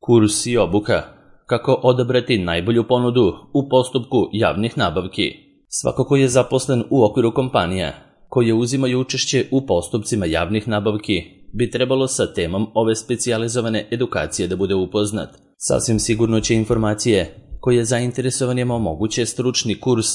Kurs i obuka. Kako odabrati najbolju ponudu u postupku javnih nabavki. Svako ko je zaposlen u okviru kompanija koje uzimaju učešće u postupcima javnih nabavki bi trebalo sa temom ove specijalizovane edukacije da bude upoznat. Sasvim sigurno će informacije koje zainteresovanima omoguće stručni kurs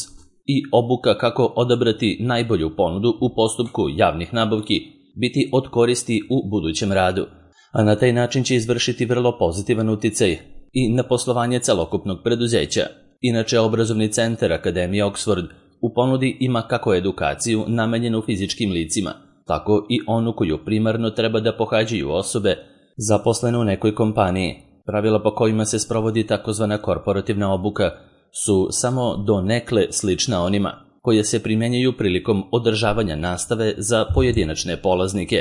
i obuka kako odabrati najbolju ponudu u postupku javnih nabavki biti od koristi u budućem radu, a na taj način će izvršiti vrlo pozitivan uticaj i na poslovanje celokupnog preduzeća. Inače, obrazovni centar Akademije Oxford u ponudi ima kako edukaciju namenjenu fizičkim licima, tako i onu koju primarno treba da pohađaju osobe zaposlene u nekoj kompaniji. Pravila po kojima se sprovodi takozvana korporativna obuka su samo donekle slična onima koje se primjenjuju prilikom održavanja nastave za pojedinačne polaznike.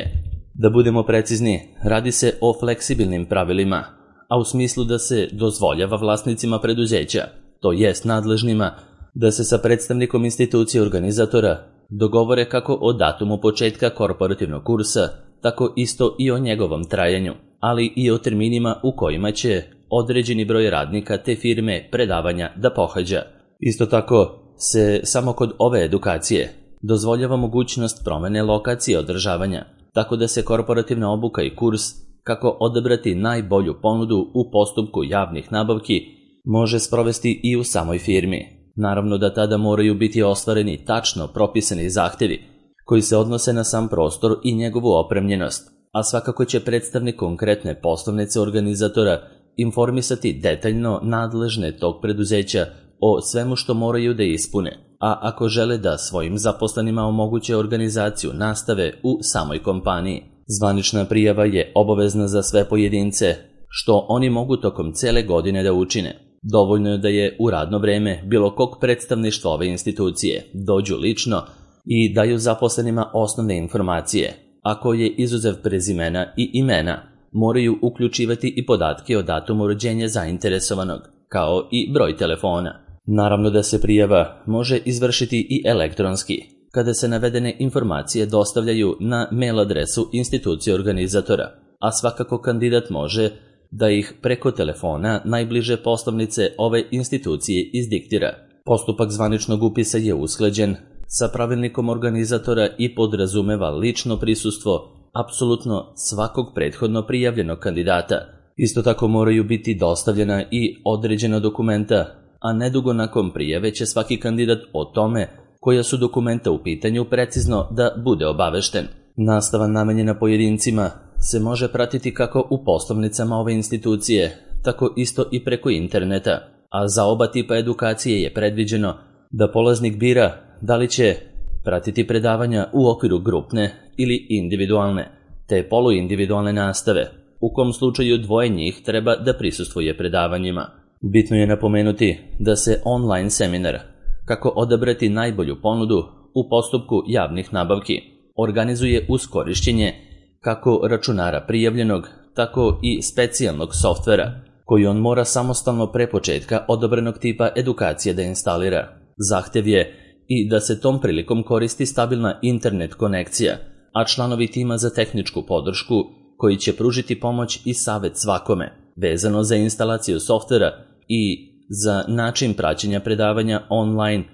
Da budemo precizni, radi se o fleksibilnim pravilima, a u smislu da se dozvoljava vlasnicima preduzeća, to jest nadležnima, da se sa predstavnikom institucije organizatora dogovore kako o datumu početka korporativnog kursa, tako isto i o njegovom trajanju, ali i o terminima u kojima će određeni broj radnika te firme predavanja da pohađa. Isto tako se samo kod ove edukacije dozvoljava mogućnost promene lokacije održavanja, tako da se korporativna obuka i kurs kako odabrati najbolju ponudu u postupku javnih nabavki može sprovesti i u samoj firmi. Naravno da tada moraju biti ostvareni tačno propisani zahtevi koji se odnose na sam prostor i njegovu opremljenost, a svakako će predstavnik konkretne poslovnice organizatora informisati detaljno nadležne tog preduzeća o svemu što moraju da ispune, a ako žele da svojim zaposlenima omoguće organizaciju nastave u samoj kompaniji. Zvanična prijava je obavezna za sve pojedince, što oni mogu tokom cele godine da učine. Dovoljno je da je u radno vreme bilo kog predstavništva ove institucije dođu lično i daju zaposlenima osnovne informacije, a koje izuzev prezimena i imena moraju uključivati i podatke o datumu rođenja zainteresovanog, kao i broj telefona. Naravno da se prijava može izvršiti i elektronski, kada se navedene informacije dostavljaju na mail adresu institucije organizatora, a svakako kandidat može da ih preko telefona najbliže poslovnice ove institucije izdiktira. Postupak zvaničnog upisa je usklađen sa pravilnikom organizatora i podrazumeva lično prisustvo apsolutno svakog prethodno prijavljenog kandidata. Isto tako moraju biti dostavljena i određena dokumenta, a nedugo nakon prijave će svaki kandidat o tome koja su dokumenta u pitanju precizno da bude obavešten. Nastava namenjena pojedincima se može pratiti kako u poslovnicama ove institucije, tako isto i preko interneta, a za oba tipa edukacije je predviđeno da polaznik bira da li će pratiti predavanja u okviru grupne ili individualne, te poluindividualne nastave, u kom slučaju dvoje njih treba da prisustvuje predavanjima. Bitno je napomenuti da se online seminar kako odabrati najbolju ponudu u postupku javnih nabavki organizuje uz korišćenje kako računara prijavljenog, tako i specijalnog softvera koji on mora samostalno pre početka odobrenog tipa edukacije da instalira. Zahtev je i da se tom prilikom koristi stabilna internet konekcija, a članovi tima za tehničku podršku koji će pružiti pomoć i savet svakome vezano za instalaciju softvera i za način praćenja predavanja online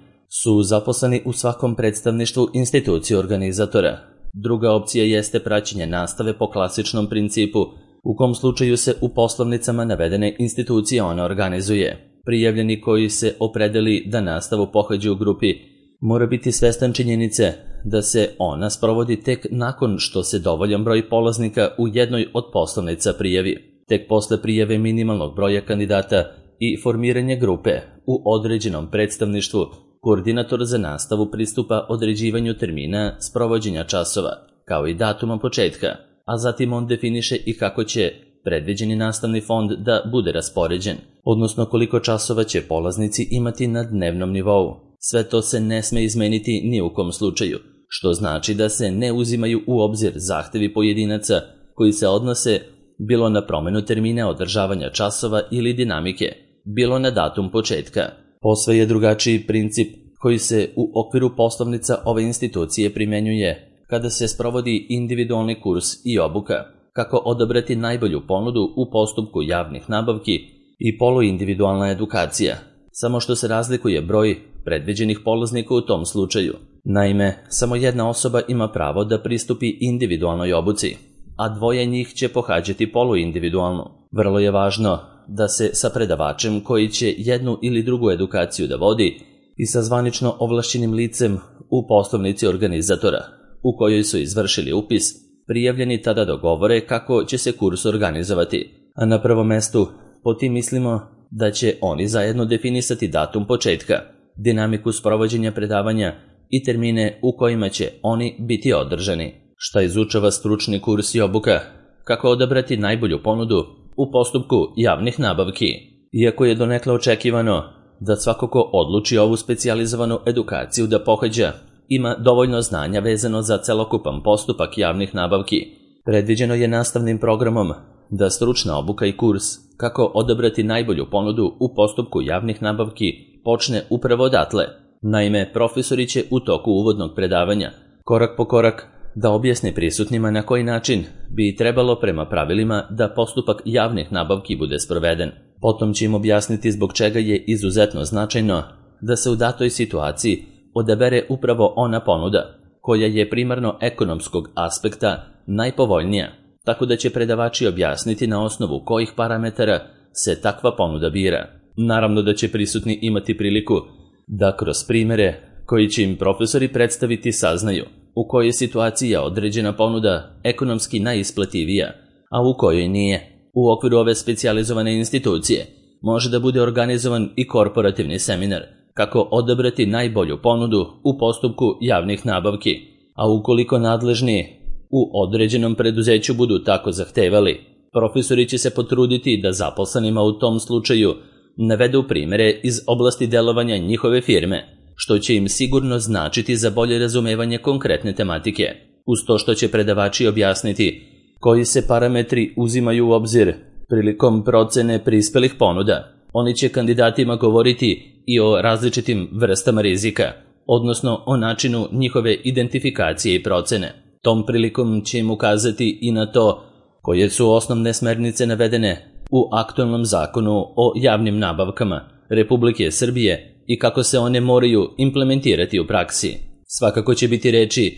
su zaposleni u svakom predstavništvu institucije organizatora. Druga opcija jeste praćenje nastave po klasičnom principu, u kom slučaju se u poslovnicama navedene institucije ona organizuje. Prijavljeni koji se opredeli da nastavu pohađa u grupi mora biti svestan činjenice da se ona sprovodi tek nakon što se dovoljan broj polaznika u jednoj od poslovnica prijavi. Tek posle prijave minimalnog broja kandidata i formiranje grupe u određenom predstavništvu, koordinator za nastavu pristupa određivanju termina sprovođenja časova, kao i datuma početka, a zatim on definiše i kako će predviđeni nastavni fond da bude raspoređen, odnosno koliko časova će polaznici imati na dnevnom nivou. Sve to se ne sme izmeniti ni u kom slučaju, što znači da se ne uzimaju u obzir zahtevi pojedinaca koji se odnose bilo na promenu termina održavanja časova ili dinamike, bilo na datum početka. Posve je drugačiji princip koji se u okviru poslovnica ove institucije primjenjuje kada se sprovodi individualni kurs i obuka. kako odabrati najbolju ponudu u postupku javnih nabavki i poluindividualna edukacija, samo što se razlikuje broj predviđenih polaznika u tom slučaju. Naime, samo jedna osoba ima pravo da pristupi individualnoj obuci, a dvoje njih će pohađati poluindividualnu. Vrlo je važno da se sa predavačem koji će jednu ili drugu edukaciju da vodi i sa zvanično ovlašćenim licem u poslovnici organizatora, u kojoj su izvršili upis, prijavljeni tada dogovore kako će se kurs organizovati, a na prvom mestu po tim mislimo da će oni zajedno definisati datum početka, dinamiku sprovođenja predavanja i termine u kojima će oni biti održani. Šta izučava stručni kurs i obuka? Kako odabrati najbolju ponudu u postupku javnih nabavki? Iako je donekle očekivano da svako ko odluči ovu specijalizovanu edukaciju da pohađa ima dovoljno znanja vezano za celokupan postupak javnih nabavki, predviđeno je nastavnim programom da stručna obuka i kurs kako odabrati najbolju ponudu u postupku javnih nabavki počne upravo odatle. Naime, profesori će u toku uvodnog predavanja korak po korak da objasne prisutnima na koji način bi trebalo prema pravilima da postupak javnih nabavki bude sproveden. Potom će im objasniti zbog čega je izuzetno značajno da se u datoj situaciji odabere upravo ona ponuda koja je primarno ekonomskog aspekta najpovoljnija, tako da će predavači objasniti na osnovu kojih parametara se takva ponuda bira. Naravno da će prisutni imati priliku da kroz primere koji će im profesori predstaviti saznaju u kojoj situaciji je određena ponuda ekonomski najisplativija, a u kojoj nije. U okviru ove specijalizovane institucije može da bude organizovan i korporativni seminar kako odabrati najbolju ponudu u postupku javnih nabavki, a ukoliko nadležni u određenom preduzeću budu tako zahtevali, profesori će se potruditi da zaposlenima u tom slučaju navedu primere iz oblasti delovanja njihove firme, što će im sigurno značiti za bolje razumevanje konkretne tematike, uz to što će predavači objasniti koji se parametri uzimaju u obzir prilikom procene prispelih ponuda. Oni će kandidatima govoriti i o različitim vrstama rizika, odnosno o načinu njihove identifikacije i procene. Tom prilikom će im ukazati i na to koje su osnovne smernice navedene u aktualnom zakonu o javnim nabavkama Republike Srbije i kako se one moraju implementirati u praksi. Svakako će biti reči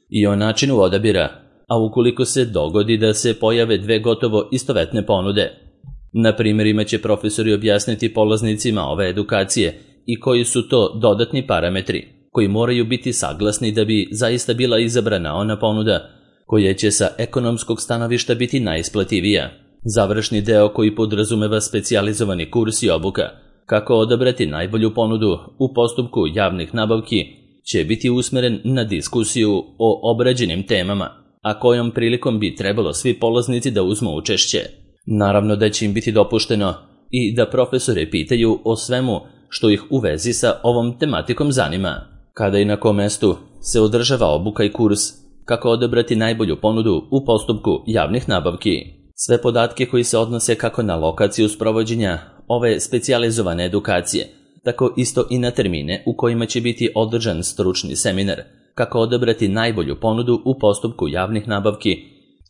i o načinu odabira, a ukoliko se dogodi da se pojave dve gotovo istovetne ponude. Na primjerima će profesori objasniti polaznicima ove edukacije i koji su to dodatni parametri koji moraju biti saglasni da bi zaista bila izabrana ona ponuda koja će sa ekonomskog stanovišta biti najisplativija. Završni deo koji podrazumeva specijalizovani kurs i obuka kako odabrati najbolju ponudu u postupku javnih nabavki će biti usmeren na diskusiju o obrađenim temama, a kojom prilikom bi trebalo svi polaznici da uzmu učešće. Naravno da će im biti dopušteno i da profesore pitaju o svemu što ih u vezi sa ovom tematikom zanima. Kada i na kom mestu se održava obuka i kurs kako odabrati najbolju ponudu u postupku javnih nabavki. Sve podatke koji se odnose kako na lokaciju sprovođenja ove specijalizovane edukacije, tako isto i na termine u kojima će biti održan stručni seminar kako odabrati najbolju ponudu u postupku javnih nabavki,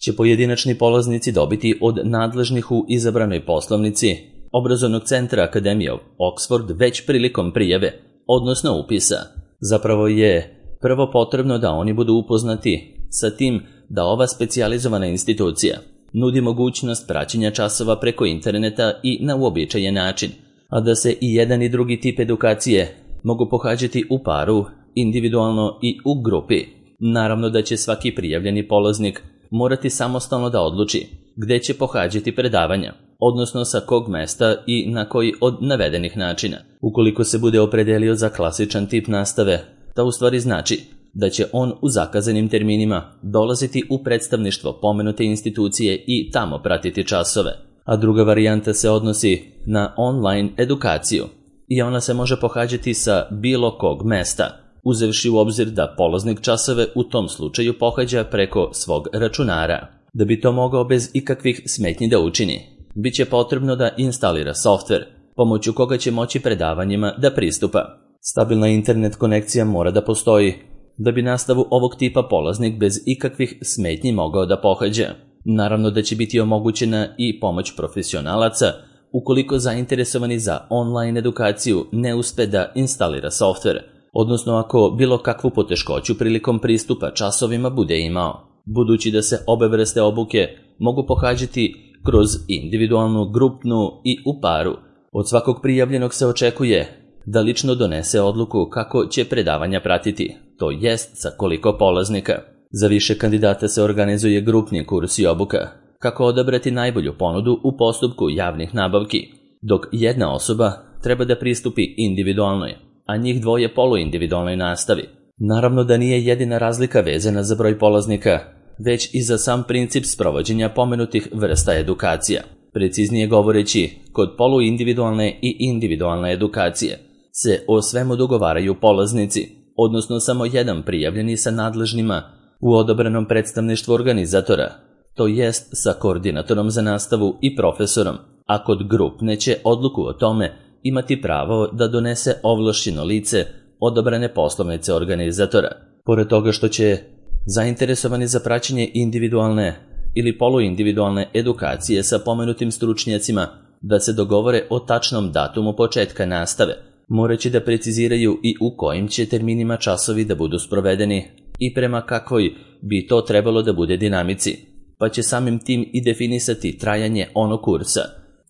će pojedinačni polaznici dobiti od nadležnih u izabranoj poslovnici obrazovnog centra Akademije Oxford već prilikom prijave, odnosno upisa. Zapravo je prvo potrebno da oni budu upoznati sa tim da ova specijalizovana institucija nudi mogućnost praćenja časova preko interneta i na uobičajen način, a da se i jedan i drugi tip edukacije mogu pohađati u paru, individualno i u grupi. Naravno da će svaki prijavljeni polaznik morati samostalno da odluči gde će pohađati predavanja, odnosno sa kog mesta i na koji od navedenih načina. Ukoliko se bude opredelio za klasičan tip nastave, to u stvari znači da će on u zakazanim terminima dolaziti u predstavništvo pomenute institucije i tamo pratiti časove. A druga varijanta se odnosi na online edukaciju i ona se može pohađati sa bilo kog mesta, uzevši u obzir da polaznik časove u tom slučaju pohađa preko svog računara. Da bi to mogao bez ikakvih smetnji da učini, bit će potrebno da instalira softver, pomoću koga će moći predavanjima da pristupa. Stabilna internet konekcija mora da postoji, da bi nastavu ovog tipa polaznik bez ikakvih smetnji mogao da pohađa. Naravno da će biti omogućena i pomoć profesionalaca ukoliko zainteresovani za online edukaciju ne uspe da instalira softver, odnosno ako bilo kakvu poteškoću prilikom pristupa časovima bude imao, budući da se obe vrste obuke mogu pohađati kroz individualnu, grupnu i u paru. Od svakog prijavljenog se očekuje da lično donese odluku kako će predavanja pratiti, to jest sa koliko polaznika. Za više kandidata se organizuje grupni kurs i obuka, kako odabrati najbolju ponudu u postupku javnih nabavki, dok jedna osoba treba da pristupi individualnoj, a njih dvoje poluindividualnoj nastavi. Naravno da nije jedina razlika vezana za broj polaznika, već i za sam princip sprovođenja pomenutih vrsta edukacija. Preciznije govoreći, kod poluindividualne i individualne edukacije se o svemu dogovaraju polaznici, odnosno samo jedan prijavljeni sa nadležnima u odabranom predstavništvu organizatora, to jest sa koordinatorom za nastavu i profesorom, a kod grupne će odluku o tome imati pravo da donese ovlašćeno lice odabrane poslovnice organizatora. Pored toga što će zainteresovani za praćenje individualne ili poluindividualne edukacije sa pomenutim stručnjacima da se dogovore o tačnom datumu početka nastave, moraće da preciziraju i u kojim će terminima časovi da budu sprovedeni i prema kakvoj bi to trebalo da bude dinamici, pa će samim tim i definisati trajanje onog kursa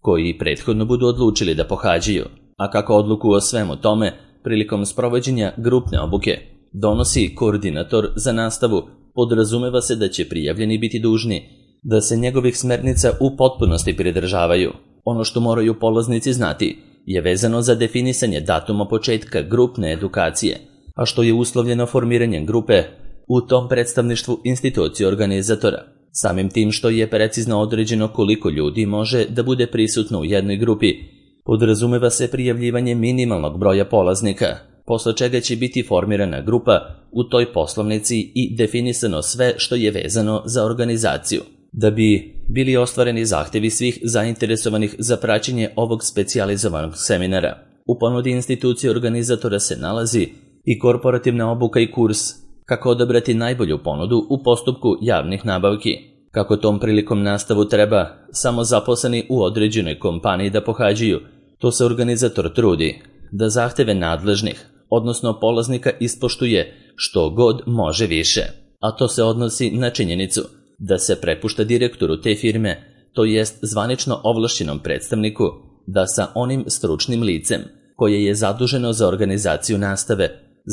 koji prethodno budu odlučili da pohađaju, a kako odluku o svemu tome prilikom sprovođenja grupne obuke donosi koordinator za nastavu, podrazumeva se da će prijavljeni biti dužni da se njegovih smernica u potpunosti pridržavaju. Ono što moraju polaznici znati je vezano za definisanje datuma početka grupne edukacije, a što je uslovljeno formiranjem grupe u tom predstavništvu institucije organizatora. Samim tim što je precizno određeno koliko ljudi može da bude prisutno u jednoj grupi, podrazumeva se prijavljivanje minimalnog broja polaznika, posle čega će biti formirana grupa u toj poslovnici i definisano sve što je vezano za organizaciju. Da bi bili ostvareni zahtevi svih zainteresovanih za praćenje ovog specijalizovanog seminara, u ponudi institucije organizatora se nalazi i korporativna obuka i kurs kako odabrati najbolju ponudu u postupku javnih nabavki. Kako tom prilikom nastavu treba samo zaposleni u određenoj kompaniji da pohađaju, to se organizator trudi da zahteve nadležnih, odnosno polaznika, ispoštuje što god može više, a to se odnosi na činjenicu da se prepušta direktoru te firme, to jest zvanično ovlašćenom predstavniku, da sa onim stručnim licem koje je zaduženo za organizaciju nastave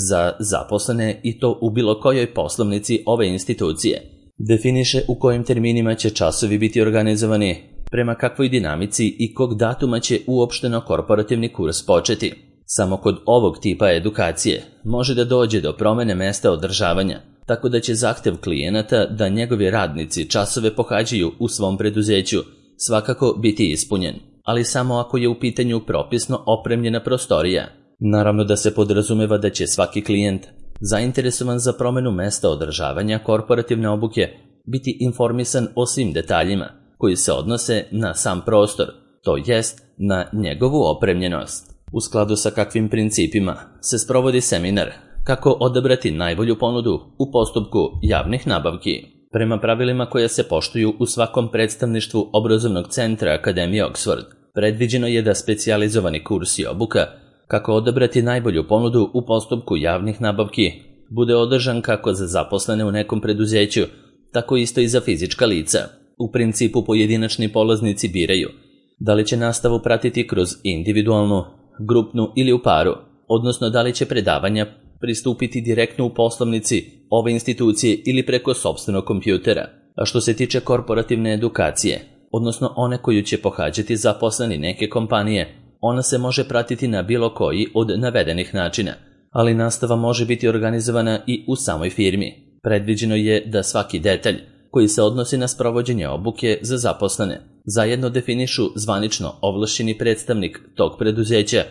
za zaposlene i to u bilo kojoj poslovnici ove institucije, definiše u kojim terminima će časovi biti organizovani, prema kakvoj dinamici i kog datuma će uopšteno korporativni kurs početi. Samo kod ovog tipa edukacije može da dođe do promene mesta održavanja, tako da će zahtev klijenata da njegovi radnici časove pohađaju u svom preduzeću svakako biti ispunjen, ali samo ako je u pitanju propisno opremljena prostorija. Naravno da se podrazumeva da će svaki klijent zainteresovan za promenu mesta održavanja korporativne obuke biti informisan o svim detaljima koji se odnose na sam prostor, to jest na njegovu opremljenost. U skladu sa kakvim principima se sprovodi seminar kako odabrati najbolju ponudu u postupku javnih nabavki. Prema pravilima koja se poštuju u svakom predstavništvu obrazovnog centra Akademije Oxford, predviđeno je da specijalizovani kurs i obuka kako odabrati najbolju ponudu u postupku javnih nabavki bude održan kako za zaposlene u nekom preduzeću, tako isto i za fizička lica. U principu pojedinačni polaznici biraju da li će nastavu pratiti kroz individualnu, grupnu ili u paru, odnosno da li će predavanja pristupiti direktno u poslovnici ove institucije ili preko sopstvenog kompjutera. A što se tiče korporativne edukacije, odnosno one koju će pohađati zaposleni neke kompanije, ona se može pratiti na bilo koji od navedenih načina, ali nastava može biti organizovana i u samoj firmi. Predviđeno je da svaki detalj koji se odnosi na sprovođenje obuke za zaposlene zajedno definišu zvanično ovlašćeni predstavnik tog preduzeća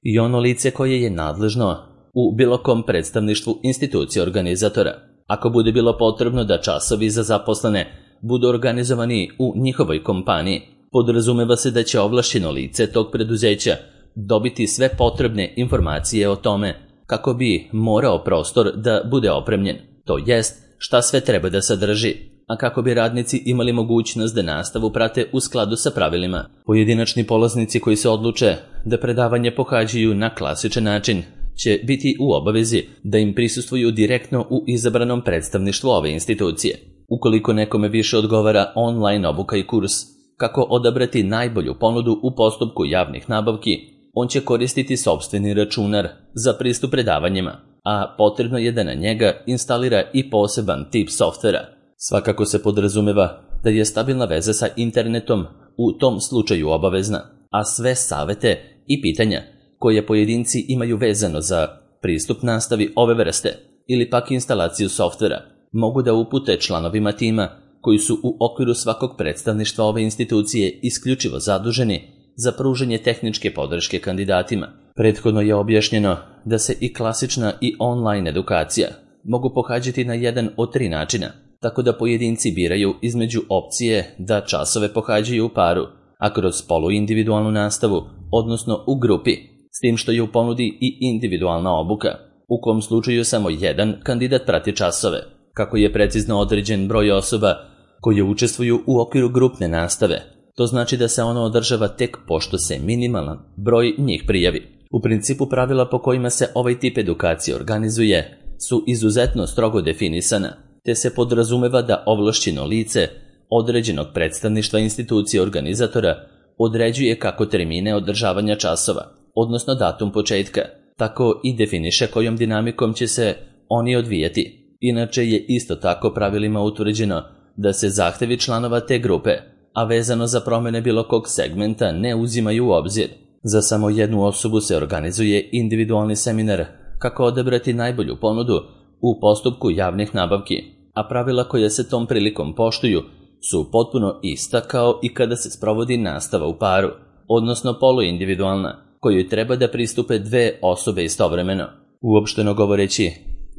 i ono lice koje je nadležno u bilo kom predstavništvu institucije organizatora. Ako bude bilo potrebno da časovi za zaposlene budu organizovani u njihovoj kompaniji, podrazumeva se da će ovlašćeno lice tog preduzeća dobiti sve potrebne informacije o tome kako bi morao prostor da bude opremljen, to jest šta sve treba da sadrži, a kako bi radnici imali mogućnost da nastavu prate u skladu sa pravilima. Pojedinačni polaznici koji se odluče da predavanje pohađaju na klasičan način će biti u obavezi da im prisustvuju direktno u izabranom predstavništvu ove institucije. Ukoliko nekome više odgovara online obuka i kurs kako odabrati najbolju ponudu u postupku javnih nabavki, on će koristiti sopstveni računar za pristup predavanjima, a potrebno je da na njega instalira i poseban tip softvera. Svakako se podrazumeva da je stabilna veza sa internetom u tom slučaju obavezna, a sve savete i pitanja koje pojedinci imaju vezano za pristup nastavi ove vrste ili pak instalaciju softvera mogu da upute članovima tima koji su u okviru svakog predstavništva ove institucije isključivo zaduženi za pružanje tehničke podrške kandidatima. Prethodno je objašnjeno da se i klasična i online edukacija mogu pohađati na jedan od 3 načina, tako da pojedinci biraju između opcije da časove pohađaju u paru, a kroz poluindividualnu nastavu, odnosno u grupi, s tim što je u ponudi i individualna obuka, u kom slučaju samo jedan kandidat prati časove, kako je precizno određen broj osoba koje učestvuju u okviru grupne nastave. To znači da se ono održava tek pošto se minimalan broj njih prijavi. U principu pravila po kojima se ovaj tip edukacije organizuje su izuzetno strogo definisana, te se podrazumeva da ovlašćeno lice određenog predstavništva institucije organizatora određuje kako termine održavanja časova, odnosno datum početka, tako i definiše kojom dinamikom će se oni odvijati. Inače je isto tako pravilima utvrđeno da se zahtevi članova te grupe, a vezano za promjene bilo kog segmenta, ne uzimaju u obzir. Za samo jednu osobu se organizuje individualni seminar kako odabrati najbolju ponudu u postupku javnih nabavki, a pravila koja se tom prilikom poštuju su potpuno ista kao i kada se sprovodi nastava u paru, odnosno poluindividualna, kojoj treba da pristupe 2 osobe istovremeno. Uopšteno govoreći,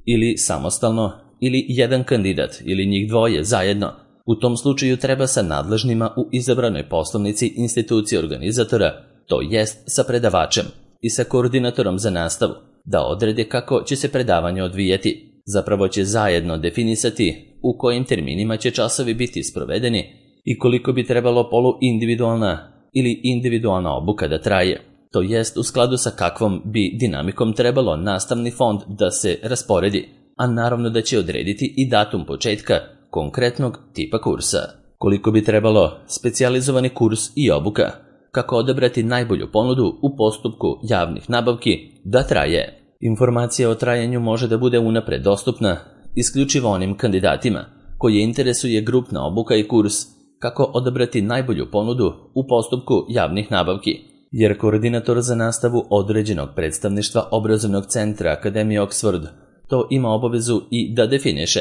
ili samostalno, ili jedan kandidat, ili njih dvoje zajedno. U tom slučaju treba sa nadležnima u izabranoj poslovnici institucije organizatora, to jest sa predavačem i sa koordinatorom za nastavu, da odrede kako će se predavanje odvijeti. Zapravo će zajedno definisati u kojim terminima će časovi biti sprovedeni i koliko bi trebalo poluindividualna ili individualna obuka da traje. To jest u skladu sa kakvom bi dinamikom trebalo nastavni fond da se rasporedi, a naravno da će odrediti i datum početka konkretnog tipa kursa. Koliko bi trebalo specijalizovani kurs i obuka, kako odabrati najbolju ponudu u postupku javnih nabavki da traje. Informacija o trajanju može da bude unapred dostupna isključivo onim kandidatima koje interesuje grupna obuka i kurs kako odabrati najbolju ponudu u postupku javnih nabavki, jer koordinator za nastavu određenog predstavništva obrazovnog centra Akademije Oxford to ima obavezu i da definiše.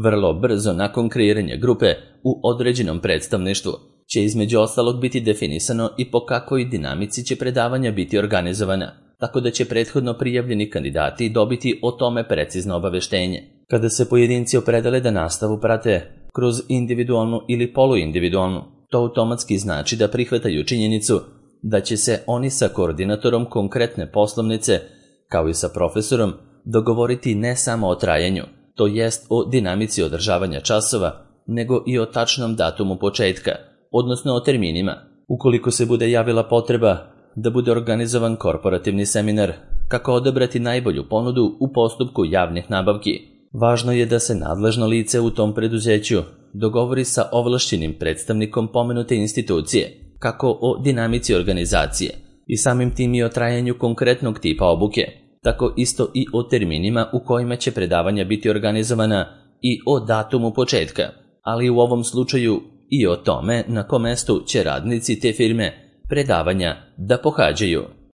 Vrlo brzo nakon kreiranja grupe u određenom predstavništvu će između ostalog biti definisano i po kakvoj dinamici će predavanja biti organizovana, tako da će prethodno prijavljeni kandidati dobiti o tome precizno obaveštenje. Kada se pojedinci opredele da nastavu prate kroz individualnu ili poluindividualnu, to automatski znači da prihvataju činjenicu da će se oni sa koordinatorom konkretne poslovnice, kao i sa profesorom, dogovoriti ne samo o trajanju, to jest o dinamici održavanja časova, nego i o tačnom datumu početka, odnosno o terminima. Ukoliko se bude javila potreba da bude organizovan korporativni seminar kako odabrati najbolju ponudu u postupku javnih nabavki, važno je da se nadležno lice u tom preduzeću dogovori sa ovlašćenim predstavnikom pomenute institucije, kako o dinamici organizacije i samim tim i o trajanju konkretnog tipa obuke, tako isto i o terminima u kojima će predavanja biti organizovana i o datumu početka, ali u ovom slučaju i o tome na kom mestu će radnici te firme predavanja da pohađaju.